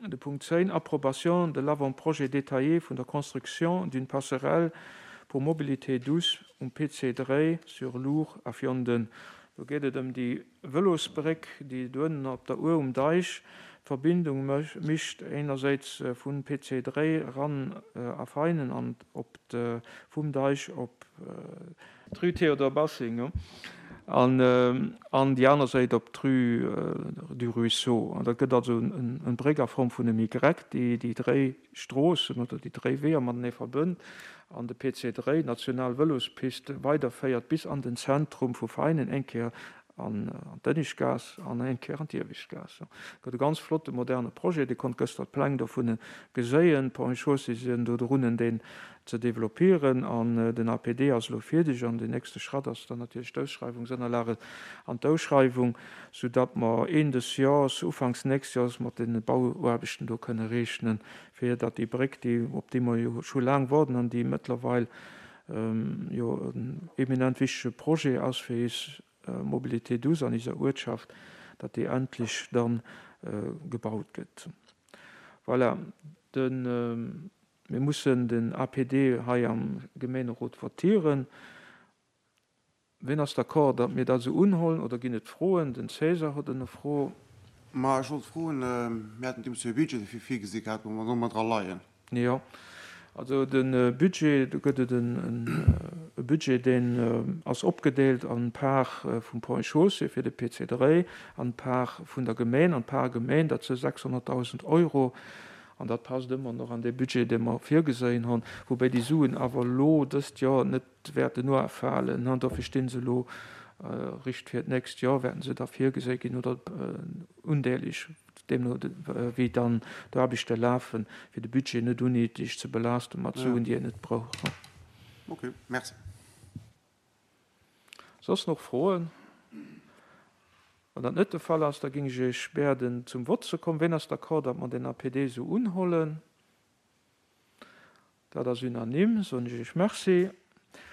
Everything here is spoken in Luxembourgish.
De Punkt 10, Approbation de l'avant-projet détaillé vun der Construction d'une passerelle pour mobilité douce um PC 3 sur l'Our à Vianden. Do geet et ëm déi Vëlosbréck, déi doënnen op der Our um Deich d'Verbindung mécht, énnerséits vun PC 3 eran a Veinen an op vum Deich op d'Rue Théodore Bassing an an déi aner Séit op d'Rue du Ruisseau. An dat gëtt also en Bréck a Form vun em Y, déi déi dréi Stroossen oder déi dréi Weeër matenee verbënnt an de PC 3, d'national Vëlospist, weiderféiert bis an den Zentrum vu Veinen, eng Kéier an d'Ënneschtgaass an eng Kéier an d'Ieweschtgaass. Gëtt e ganz flotte moderne Projet. Dir konnt gëschter d'Pläng dovun geséien. D'Ponts et Chaussées sinn do drunnen deen ze développieren an den APD ass elo fierdeg an den nächste Schratt ass dann natierlech d'Ausschreiwungsënnerlage an d'Ausschreiwung, soudatt mer Een des Jors, ufanks nächst Jors mat de Bauaarbechten do kënne rechnen, fir datt déi Bréck, déi, op déi mer jo scho laang warden an déi mëttlerweil jo en eminent wichtege Projet ass fir eis Mobilité douce an eiser Uertschaft, datt déi endlech dann gebaut gëtt. Voilà, de, mir mussen den APD hei am Gemeenerot votieren. Wien ass d'accord, datt mir dat esou unhollen, oder ginn et Froen? Den César huet e Fro. Ma ech wollt froen, mir haten deemools jo e Budget dofir virgesi gehat, wou mer domat dra leien. Jo, also de Budget, do gëtt et e Budget, deen ass opgedeelt an d'Part vum Ponts et Chaussées fir de PC3 an d'Part vun der Gemeen. An d'Part Gemeen, dat si 600.000 Euro. An dat passt ëmmer nach an dee Budget, dee mer virgeséien hunn, woubäi déi Suen awer elo dëst Joer net wäerten uafalen. Dofir sti se elo richt fir d'nächst Joer, wäerten se da virgeséi ginn oder undeeleg, deemno wéi dann d'Aarbechte lafen, fir de Budget net unnéideg ze belaaste mat Suen, déi een net brauch. Ok, merci. Soss nach Froen? Wann dat net de Fall ass, da géing ech Iech bäerden zum Vott ze kommen. Ween ass d'accord, datt mer den APD esou unhollen? Dat ass unanime, soen ech Iech Merci.